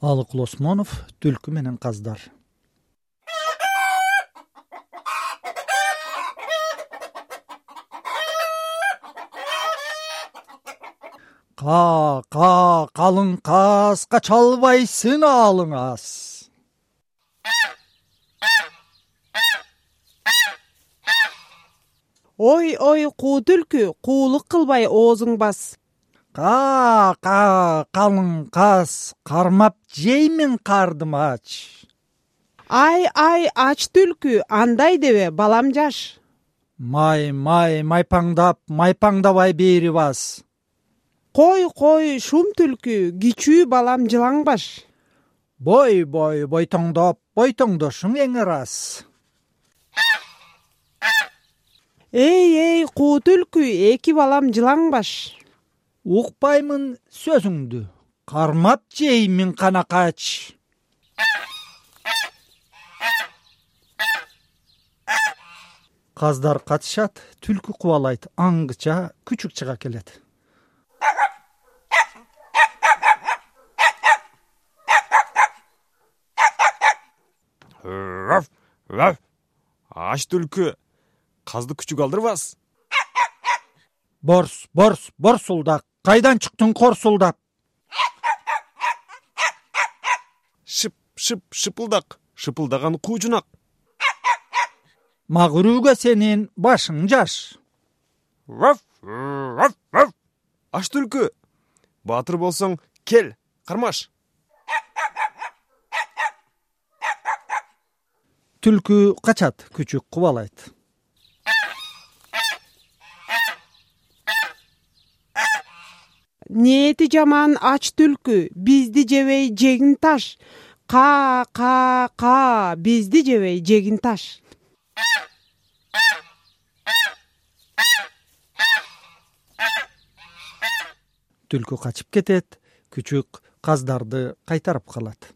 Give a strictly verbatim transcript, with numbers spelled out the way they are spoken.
Алыкул Осмонов, Түлкү менен каздар. Ка, ка, калың каз, кача албайсың алың аз. Ой, ой, куу түлкү, куулук кылбай оозуң бас. Ка, ка, калың каз, кармап жеймин кардым ач. Ай, ай, ач түлкү, андай дебе, балам жаш. Май, май, майпаңдап, майпаңдабай бери бас. Кой, кой, шум түлкү, кичүү балам жылаң баш. Бой, бой, бойтоңдоп, бойтоңдошуң эң ырас. Эй, эй, куу түлкү, эки балам жылаң баш. Укпаймын сөзүңдү, кармап жеймин канакач. Каздар катышат, түлкү кубалайт, аңгыча күчүк чыга келет. Раф, раф. Аш түлкү, казды күчүк алдырбас. Борс, борс, борсулдак, кайдан чыктың корсулдап? Шып, шып, шыпылдак, шыпылдаган куучунак. Магырууга сенин башың жаш. Раф, раф, раф. Аш түлкү, баатыр болсоң, кел, кармаш. Түлкү качат, күчүк кубалайт. Ниети жаман ач түлкү, бизди жебей жегин таш. Ка, ка, ка, бизди жебей жегин таш. Түлкү качып кетет, күчүк каздарды кайтарып калат.